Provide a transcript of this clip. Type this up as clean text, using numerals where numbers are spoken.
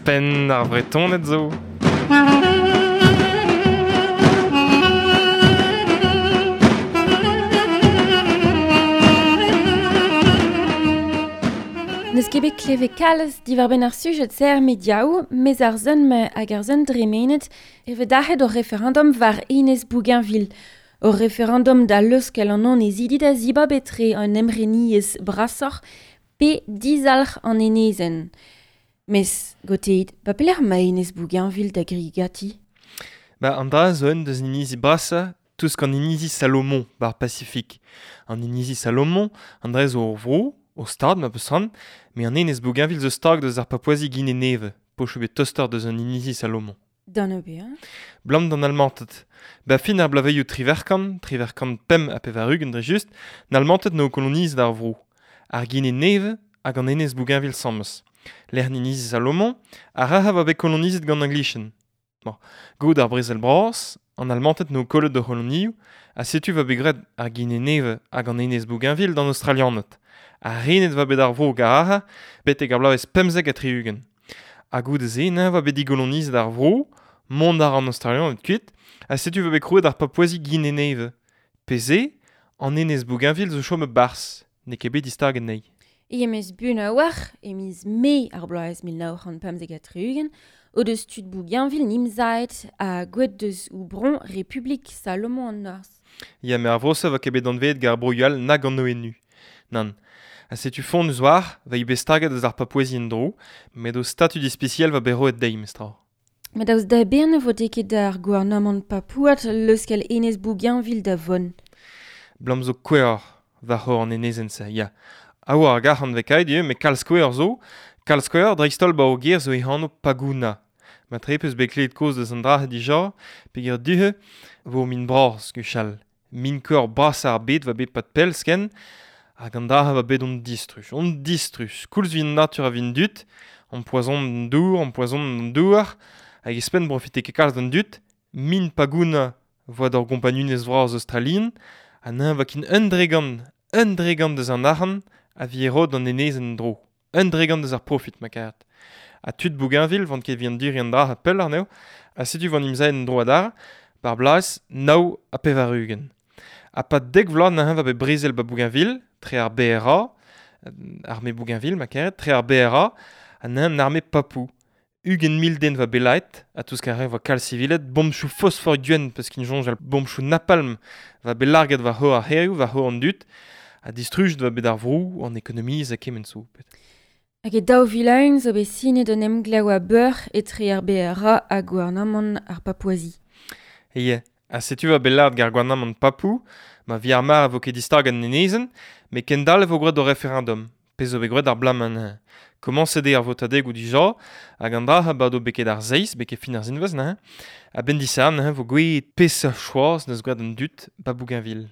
Penn ar Vretoned zo. N'eus ket bet klevet kalz diwar-benn ar sujed-se er mediaoù, mes ar sun hag ar sun dremenet e vez dac'het ur referendum war Enez Bougainville. Ur referendum da leuskel an annezidi da zibab etre un emreniezh brasoc'h pe dizalc'h an enezenn. Mes, goteid, ba pelec'h ma Enez Bougainville da grigati? Ba an dra zo un deus inizi brasañ tousk an inizi Salomon bar Pasifik. An inizi Salomon, an dra zo ur vro, o stad ma peus ran, me an enez Bougainville zo stag deus ar Papouasie Guinée-Neve, pochoù bet toster deus an inizi Salomon. D'an ober. Blam d'an Almanted. Ba fin ar blaveioù triverkant, triverkant pemp ha pevar-ugent dre just, n'Almanted n'o koloniz d'ar vro. Ar Guinée-Neve hag an enez Bougainville sammez. Lec'h inizi Salomon, ar raha va bet kolonizet gant an Glichen. Bon, gout ar brezel bras, an Almanted n'o kollet d'o c'holonioù, ha setu va bet graet ar Guinée-Neve hag an enez Bougainville d'an Australianed. Ar renet va bet ar vro garaha, betek ar bloavezh 75. Ha goude-se, neñv va bet digolonizet ar vro, mont ar an Australianed kuit, ha setu va bet krouet ar Papouasie Guinée-Neve. Peze, an enez Bougainville zo chom barzh, n'eo ket bet distaget anezhi. E em eus bun a-walc'h e miz Mae ar bloaz 1975, o deus tud Bougainville nimzaet ha gouet deus ou bron Republik Salomon an Norzh. Ya, me ar vro-se va ket bet anveet gar broioù all nag an ONU. Nann. Ha setu font eus war, va i bet staget eus ar Papouasie en-dro, met o statud ispisial va bet roet dezhi, mestra. Met daoust da bern vo ket ar gouarnamant papouat leuskel enez Bougainville da von. Blam zo kouer war c'hor an enezenn-se, ya. A oa ar gar an vekaet eo, met kalz kouer zo, kalz kouer dreist-holl ba o ger zo e anv Paguna. Ma tre peus bet klevet koz deus an dra dija, peogwir duhe vo min bras gwechall. Min kouer bras ar bet va bet pat pell sken, hag an dra va bet on distruj. On distruj. Koulz vin natur a vin dut, an poazon an dour, an poazon an douar, hag espen profite ket kalz d'an dut, min Paguna voa d'ur gompagnunez vras australien, ha neñv va kin un dregant deus an arc'hant a vi rod an enezenn dro. Un dregant deus ar profit, ma karet. Ha tud Bougainville vant ket vi an duri an dra ha pell ar neo, ha setu van imzaen dro adar, bar blaz nao ha pevar-ugent. Ha pa dek vloaz neñv va bet brezel ba Bougainville, tre ar BRA, armée Bougainville, ma karet, tre ar BRA, ha neñv an armée Papou. Ugent mil den va belait, ha tous kare va kal civilet, bombchou phosphore guen, peus kin jonj al bombchou napalm va belarget va c'hor ar herioù, va c'hor an dut, ha distruj va bet ar vrou an ekonomiz a kement zo. Hag e daou vilaun zo bet sinet un emglev a beur etre ar BRA ha gouarnamant ar Papouasie. Ie, ha setu va belard gar gouarnamant Papou, ma vi ar mar a vo ket distag an enezenn, met kendal e vo graet o referendum. Pezh zo bet graet ar blaman. Komañset eo ar votadegoù dija, hag an dra ha bado beket ar zeiz, beket fin ar zinvez, neuze. A-benn disarn, neuze, vo gouezet peseurt choaz neus graet an dud ba Bougainville.